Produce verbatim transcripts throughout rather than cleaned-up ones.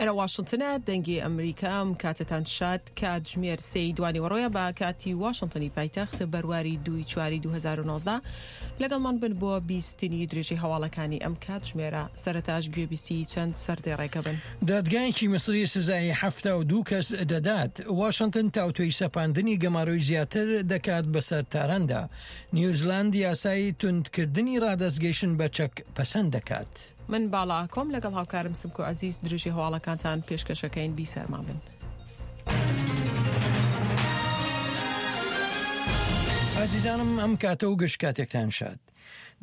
ئێرە واشنتنە، دەنگی ئەمریکا. ئەم کاتەتان شاد. کاتژمێر سێی دوانیوەڕۆیە بە کاتی واشنتنی پایتەخت، بەرواری دووی چواری دوو هەزار و نۆزدە. لەگەڵمان بن بۆ بیستنی درێژەی هەواڵەکانی ئەم کاتژمێرە. سەرەتاش گوێبیستی چەند سەردێڕێکە بن. دادگایەکی میسری سزای حەفتا و دوو کەس دەدات. واشنتن تاوتوێی سەپاندنی گەمارۆی زیاتر دەکات بەسەر تاراندا. نیوزلاند یاسای توندکردنی ڕادەستگەیشتن بە چەک پەسەند دەکات. من باڵا ئاکۆم لەگەڵ هاوکارم سمکۆ عەزیز درێژی هەواڵەکانتان پێشکەشەکەین. بیسەرمان بن. ئازیزانم ئەم کاتە و گشت کاتێکتان شاد.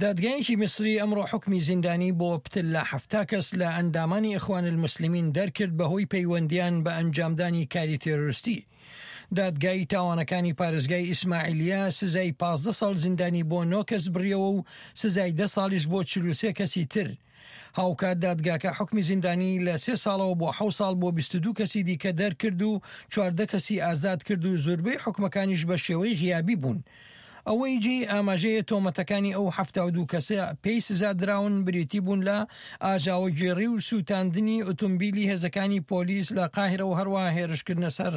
دادگایەکی میسری ئەمڕۆ حوکمی زیندانی بۆ پتر لە حەفتا کەس لە ئەندامانی ئیخوان الموسلمین دەرکرد بەهۆی پەیوەندیان بە ئەنجامدانی کاری تێرۆریستی. دادگای تاوانەکانی پارێزگای ئیسماعیلیە سزای پازدە ساڵ زیندانی بۆ نۆ کەس بڕیەوە و سزای دە ساڵیش بۆ چل و سێ کەسی تر. هاوکات دادگاکە حوکمی زیندانی لە سێ ساڵەوە بۆ حەوت ساڵ بۆ بیست و دوو کەسی دیکە دەرکرد و چواردە کەسی ئازاد کرد و زۆربەی حوکمەکانیش بە شێوەی غیابی بوون. ئەوەی جێی ئاماژەیە تۆمەتەکانی ئەو حەفتا و دوو کەسە پێی سزا دراون بریتی بوون لە ئاژاوەگێڕی و سووتاندنی ئۆتۆمبیلی هێزەکانی پۆلیس لە قاهیرە و هەروەها هێرشکردنە سەر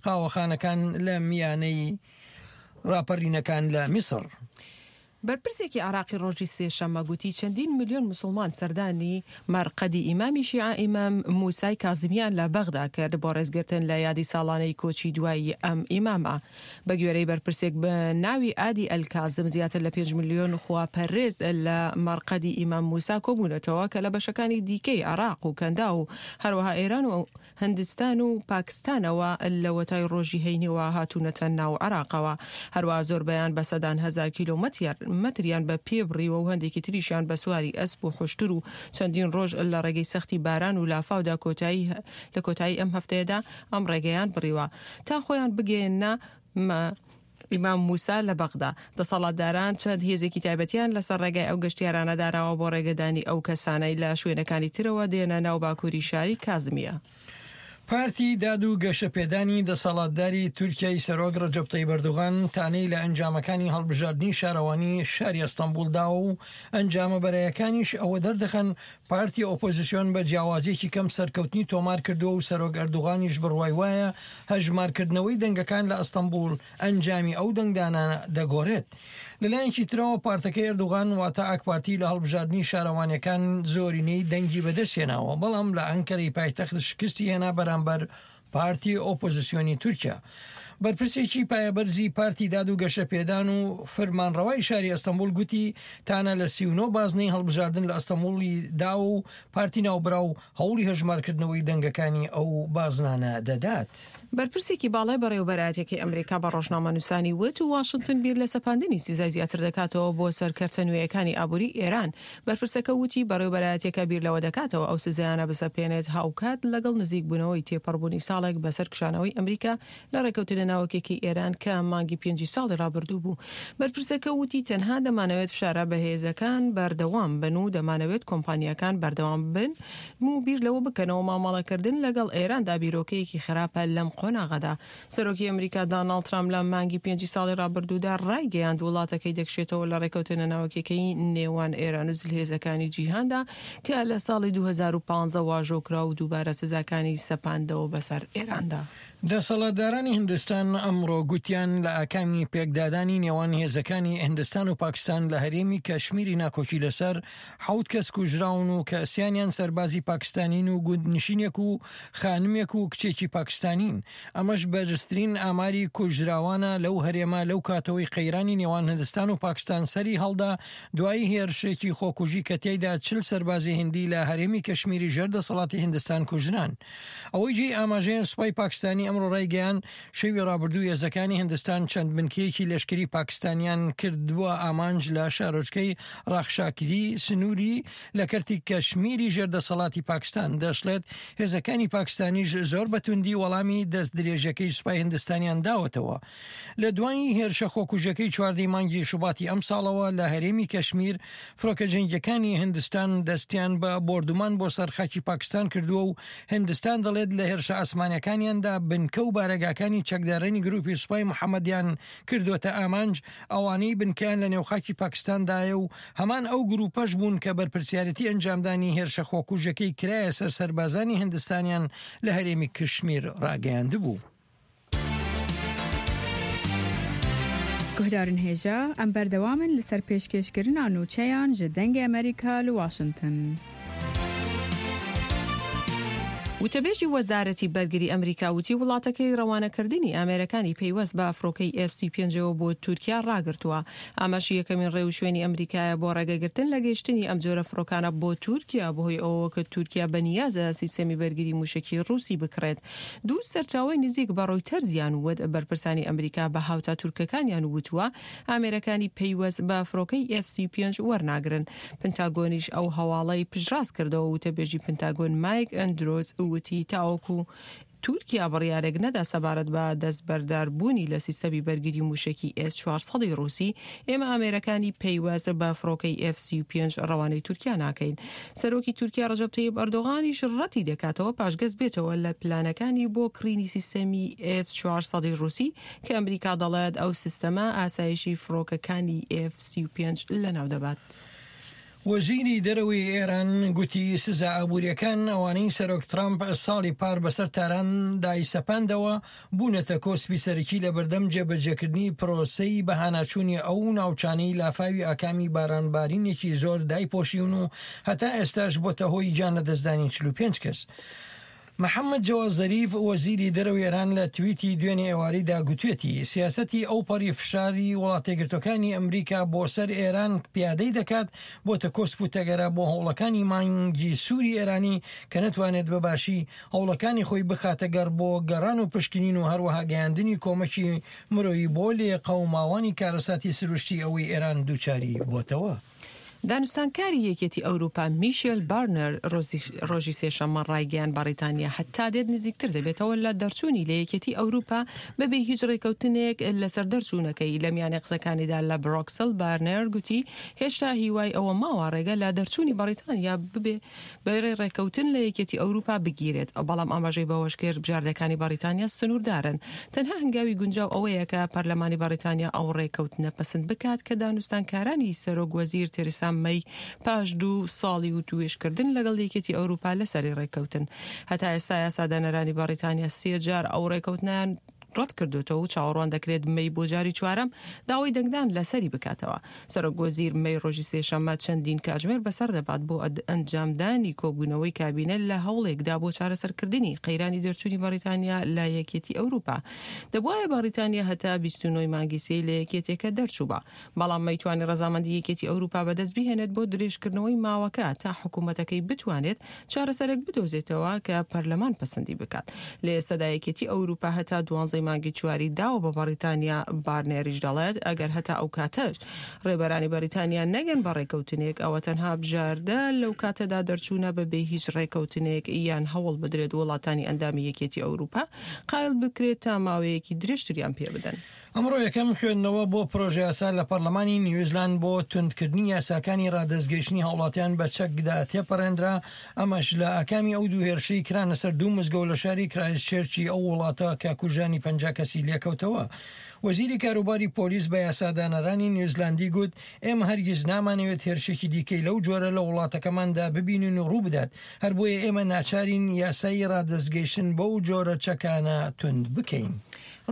قاوەخانەکان لە میانەی ڕاپەڕینەکان لە میسر. بەرپرسێکی عێراقی ڕۆژی سێشەممە گوتی چەندین ملیۆن موسڵمان سەردانی مەرقەدی ئیمامی شیعە ئیمام موسای کازمیان لە بەغدا کرد بۆ ڕێزگرتن لە یادی ساڵانەی کۆچی دوایی ئەم ئیمامە. بە گوێرەی بەرپرسێک بە ناوی ئادی ئەلکازم زیاتر لە پێنج ملیۆن خواپەرست لە مەرقەدی ئیمام موسا کۆبوونەتەوە کە لە بەشەکانی دیکەی عێراق و کەندا و هەروەها ئێران و هندستان و پاکستانەوە لەوەتای ڕۆژی هەینیەوە هاتوونەتە ناو عێراقەوە. هەروەها زۆربەیان بە سەدان هەزار کیلۆمەتریان بە پێ بڕیوە و هەندێکی تریشیان بە سواری ئەسپ و حوشتر و چەندین ڕۆژ لە ڕێگەی سەختی باران و لافاودا کۆتایی لە کۆتایی ئەم هەفتەیەدا ئەم ڕێگەیان بڕیوە تا خۆیان بگەیەنە ئیمام موسا لە بەغدا. دەسەڵاتداران چەند هێزێکی تایبەتیان لەسەر ڕێگای ئەو گەشتیارانە داناوە بۆ ڕێگەدانی ئەو کەسانەی لە شوێنەکانی ترەوە دێنە ناو باکووری شاری کازمیە. پارتی داد و گەشەپێدانی دەسەڵاتداری تورکیای سەرۆک ڕەجەب تەیب ئەردۆغان تانەی لە ئەنجامەکانی هەڵبژاردنی شارەوانی شاری ئەستەنبوڵ داوە و ئەنجامە بەرایەکانیش ئەوە دەردەخەن پارتی ئۆپۆزیسیۆن بە جیاوازیەکی کەم سەرکەوتنی تۆمار کردووە و سەرۆک ئەردۆغانیش بڕوای وایە هەژمارکردنەوەی دەنگەکان لە ئەستەنبوڵ ئەنجامی ئەو دەنگدانە دەگۆڕێت. لەلایەکی ترەوە پارتەکەی ئەردۆغان واتە ئاک پارتی لە هەڵبژاردنی شارەوانیەکان زۆرینەی دەنگی بەدەستهێناوە، بەڵام لە ئەنکەرەی پایتەخت شکستی هێنا بەرامبەر پارتی ئۆپۆزیسیۆنی تورکیا. بەرپرسێکی پایەبەرزی پارتی داد و گەشەپێدان و فرمانڕەوای شاری ئەستەنبوڵ گوتی تانە لە سی و نۆ بازنەی هەڵبژاردن لە ئەستەنبوڵی داوە و پارتی ناوبراو هەوڵی هەژمارکردنەوەی دەنگەکانی ئەو بازنانە دەدات. بەرپرسێکی باڵای بەڕێوەبەرایەتیەکەی ئەمریکا بە ڕۆژنامەنووسانی وت و واشنتن بیر لە سەپاندنی سزای زیاتر دەکاتەوە بۆ سەر کەرتە نوێیەکانی ئابووری ئێران. بەرپرسەکە وتی بەڕێوەبەرایەتیەکە بیر لەوە دەکاتەوە ئەو سزایانە بسەپێنێت هاوکات لەگەڵ نزیکبوونەوەی تێپەڕبوونی ساڵێک بەسەر کشانەوەی ئەمریکا لە ڕێکەوتنە ناوەکێکی ئێران کە مانگی پێنجی ساڵی ڕابردوو بوو. بەرپرسەکە وتی تەنها دەمانەوێت فشارە بەهێزەکان بەردەوام بن و دەمانەوێت کۆمپانیاکان بەردەوام بن و بیر لەوە بکەنەوە مامەڵەکردن لەگەڵ ئێراندا بیرۆکەیەکی خراپە لەم قۆناغەدا. سەرۆکی ئەمریکا داناڵد ترامپ لە مانگی پێنجی ساڵی ڕابردوودا ڕایگەیاند وڵاتەکەی دەکشێتەوە لە ڕێکەوتنە ناوەکیەکەی نێوان ئێران و زلهێزەکانی جیهاندا کە لە ساڵی دوو هەزار و پازدە واژۆ کرا و دووبارە سزاکانی سەپاندەوە بەسەر ئێراندا. دەسەڵاتدارانی هندستان ئەمڕۆ گوتیان لە ئاکامی پێکدادانی نێوان هێزەکانی هندستان و پاکستان لە هەرێمی کەشمیری ناکۆکی لەسەر حەوت کەس کوژراون و کە سیانیان سەربازی پاکستانین و گوندنشینێک و خانمێک و کچێکی پاکستانین. ئەمەش بەرزترین ئاماری کوژراوانە لەو هەرێمە لەو کاتەوەی قەیرانی نێوان هندستان و پاکستان سەری هەڵدا دوای هێرشێکی خۆکوژی کە تێیدا چل سەربازی هندی لە هەرێمی کەشمیری ژێر دەسەڵاتی هندستان کوژران. ئەوەی جێی ئاماژەیە سوپای پاکستانی ئەمڕۆ ڕایگەیاند شەوی ڕابردوو هێزەکانی هندستان چەند بنکەیەکی لەشکری پاکستانیان کردووە ئامانج لە شارۆچکەی ڕاخشاکری سنووری لە کەرتی کەشمیری ژێر دەسەڵاتی پاکستان. دەشڵێت هێزەکانی پاکستانیش زۆر بەتوندی وەڵامی دەست درێژەکەی سوپای هندستانیان داوەتەوە. لە دوای هێرشە خۆکوژەکەی چواردەی مانگی شوباتی ئەم ساڵەوە لە هەرێمی کەشمیر فڕۆکە جەنگیەکانی هندستان دەستیان بە بۆردومان بۆ سەر خاکی پاکستان کردووە و هندستان دەڵێت لە هێرشە ئاسمانیەکانیاندا بنکە و بارەگاکانی چەکدارانی چەکدارانی گروپی سوپای محەممەدیان کردووەتە ئامانج، ئەوانەی بنکەیان لە نێوخاکی پاکستاندایە و هەمان ئەو گروپەش بوون کە بەرپرسیارەتی ئەنجامدانی هێرشە خۆکوژەکەی کرایە سەر سەربازانی هندستانیان لە هەرێمی کشمیر ڕاگەیاندبوو. گوهدارن هێژا ئەم بەردەوامن لەسەر پێشکێشکردنا نوچەیان ji دەنگê ئەمریکا li واشنگتن. وتەبێژی وەزارەتی بەرگری ئەمریکا وتی وڵاتەکەی ڕەوانەکردنی ئامێرەکانی پەیوەست بە فڕۆکەی ئێف سی پێنجەوە بۆ تورکیا ڕاگرتووە. ئەمەش یەکەمین ڕێوشوێنی ئەمریکایە بۆ ڕێگەگرتن لە گەیشتنی ئەم جۆرە فڕۆکانە بۆ تورکیا، بەهۆی ئەوەوە کە تورکیا بەنیازە سیستەمی بەرگری موشکی ڕووسی بکڕێت. دوو سەرچاوەی نزیک بە ڕۆیتەرزیان وت بەرپرسانی ئەمریکا بە هاوتا تورکەکانیان وتووە ئامێرەکانی پەیوەست بە فڕۆکەی ئێف سی پێنج وەرناگرن. پنتاگۆنیش ئەو هەواڵەی پشتڕاست کردەوە. وتەبێژی پنتاگۆن مایک ئەندرۆز وتی تاوەکو تورکیا بڕیارێک نەدا سەبارەت بە دەستبەرداربوونی لە سیستەمی بەرگری موشکی ئێس چوار سەد ڕووسی، ئێمە ئامێرەکانی پەیوەست بە فڕۆکەی ئێف سی پێنج ڕەوانەی تورکیا ناکەین. سەرۆکی تورکیا ڕەجەب تەیب ئەردۆغانیش ڕەتی دەکاتەوە پاشگەز بێتەوە لە پلانەکانی بۆ کڕینی سیستەمی ئێس چوار سەد ڕووسی کە ئەمریکا دەڵێت ئەو سیستەمە ئاسایشی فڕۆکەکانی ئێف سی پێنج لەناو دەبات. وەزیری دەرەوەی ئێران گوتی سزا ئابووریەکان ئەوانەی سەرۆک ترامپ ساڵی پار بەسەر تاران دایسەپاندەوە بوونەتە کۆسپی سەرەکی لە بەردەم جێبەجێکردنی پرۆسەی بەهاناچوونی ئەو ناوچانەی لافاوی ئاکامی بارانبارینێکی زۆر دایپۆشیون و هەتا ئێستاش بۆتە هۆی گیان لەدەستدانی چل و پێنج کەس. محەممەد جەواد زەریف وەزیری دەرەوەی ئێران لە تویتی دوێنێ ئێوارەیدا گوتوێتی سیاسەتی ئەوپەڕی فشاری وڵاتێگرتوەکانی ئەمریکا بۆ سەر ئێران پیادەی دەکات بۆتە کۆسپ و تەگەرە بۆ هەوڵەکانی مانگی سووری ئێرانی کە نەتوانێت بەباشی هەوڵەکانی خۆی بخاتە گەڕ بۆ گەڕان و پشکنین و هەروەها گەیاندنی کۆمەکی مرۆیی بۆ لێقەوماوانی کارەساتی سروشتی ئەوەی ئێران دووچاری بۆتەوە. دانوستانکاری یەکێتی ئەوروپا میشێل بارنەر ڕۆژی سێشەممە ڕایگەیاند بەڕیتانیا هەتا دێت نزیکتر دەبێتەوە لە دەرچوونی لە یەکێتی ئەوروپا بەبێ هیچ ڕێکەوتنێک لەسەر دەرچوونەکەی. لە میانەی قسەکانیدا لە برۆکسل بارنەر گوتی هێشتا هیوای ئەوە ماوە ڕێگە لە دەرچوونی بەڕیتانیا ببێ بەڕێ ڕێکەوتن لە یەکێتی ئەوروپا بگیرێت، بەڵام ئاماژەی بەوەش کرد بژاردەکانی بەڕیتانیا سنووردارن. تەنها هەنگاوی گونجاو ئەوەیە کە پەرلەمانی بەڕیتانیا ئەو ڕێکەوتنە پەسند بکات کە دانوستانکارانی سەرۆک وەزیر تێریسا مەی پاش دوو ساڵی و توێشکردن لەگەڵ یەکێتی ئەوروپا لەسەری ڕێککەوتن. هەتا ئێستا یاسادانەرانی بەڕیتانیا سێ جار ئەو ڕێککەوتنیان ڕەت کردوێتەوە و چاوەڕوان دەکرێت مەی بۆ جاری چوارەم داوای دەنگدان لەسەری بکاتەوە. سەرۆک وەزیر مەی ڕۆژی سێشەممە چەندین کاتژمێر بەسەر دەبات بۆ ئەنجامدانی کۆبوونەوەی کابینە لە هەوڵێکدا بۆ چارەسەرکردنی قەیرانی دەرچوونی بەڕیتانیا لە یەکێتی ئەوروپا. دەبوایە بەڕیتانیا هەتا بیست و نۆی مانگی سێ لە یەکێتیەکە دەرچووبا، بەڵام مەیتوانی ڕەزامەندی یەکێتی ئەوروپا بەدەست بهێنێت بۆ درێژکردنەوەی ماوەکە تا حکوومەتەکەی بتوانێت چارەسەرێک بدۆزێتەوە کە پەرلەمان پەسەندی بکات. لە ئێستادا یەکێتی ئەوروپا هەتا دوانزەی مانگی چواری داوە بە بەڕیتانیا. بارنێریش دەڵێت ئەگەر هەتا ئەو کاتەش ڕێبەرانی بەریتانیا نەگەن بە ڕێکەوتنێک ئەوە تەنها بژاردە لەو کاتەدا دەرچوونە بەبێ هیچ ڕێکەوتنێک یان هەوڵ بدرێت وڵاتانی ئەندامی یەکێتی ئەوروپا قایل بکرێت تا ماوەیەکی درێژتریان پێ بدەن. ئەمڕۆ یەکەم خوێندنەوە بۆ پرۆژە یاسا لە پەرلەمانی نیوزلاند بۆ توندکردنی یاساکانی ڕادەستگەیشتنی هاوڵاتیان بە چەکدا تێپەڕێنرا، ئەمەش لە ئاکامی ئەو دوو هێرشەی کرانە سەر دوو مزگەوت لە شاری کرایستچێرچی ئەو وڵاتە کە کوژرانی پەنجا کەسی لێکەوتەوە. وەزیری کاروباری پۆلیس بە یاسادانەرانی نیوزلاندی گوت ئێمە هەرگیز نامانەوێت هێرشێکی دیکەی لەو جۆرە لە وڵاتەکەماندا ببینین و ڕوو بدات، هەر بۆیە ئێمە ناچارین یاسایی ڕادەستگەیشتن بەو جۆرە چەکانە توند بکەین.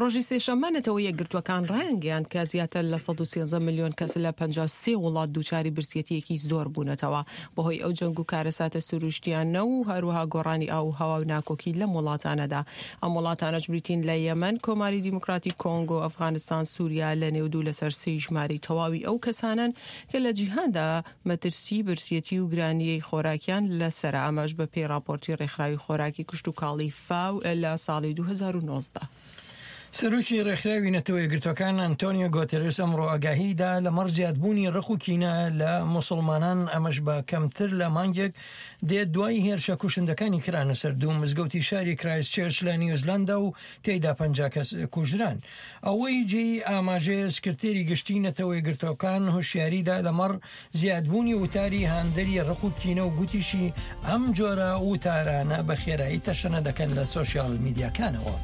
ڕۆژی سێشەممە نەتەوە یەکگرتووەکان ڕایانگەیاند کە زیاتر لە سەد و سێزدە ملیۆن کەس لە پەنجا و سێ وڵات دووچاری برسێتیەکی زۆر بوونەتەوە بەهۆی ئەو جەنگ و کارەساتە سروشتیانە و هەروەها گۆڕانی ئاو و هەوا و ناکۆکی لەم وڵاتانەدا. ئەم وڵاتانەش بریتین لە یەمەن، کۆماری دیموکراتی کۆنگۆ، ئەفغانستان، سووریا لە نێو دوو لەسەر سێی ژمارەی تەواوی ئەو کەسانن کە لە جیهاندا مەترسی برسێتی و گرانیی خۆراکیان لەسەرە. ئەمەش بە پێی ڕاپۆرتی ڕێکخراوی خۆراکی کشتوکاڵی فاو لە ساڵی دوو هەزار و نۆزدە. سەرۆکی ڕێکخراوی نەتەوە یەکگرتووەکان ئەنتۆنیۆ گۆتێرێس ئەمڕۆ ئاگاهیدا لەمەڕ زیادبوونی ڕق و کینە لە موسڵمانان، ئەمەش بە کەمتر لە مانگێک دێت دوای هێرشە کوشندەکانی کرانە سەر دوو مزگەوتی شاری کرایستچێرچ لە نیوزلاندا و تێیدا پەنجا کەس کوژران. ئەوەی جێی ئاماژەیە سکرتێری گشتی نەتەوە یەکگرتووەکان هۆشیاریدا لەمەڕ زیادبوونی وتاری هاندەری ڕق و کینە و گوتیشی ئەم جۆرە وتارانە بە خێرایی تەشەنە دەکەن لە سۆشیال میدیاکانەوە.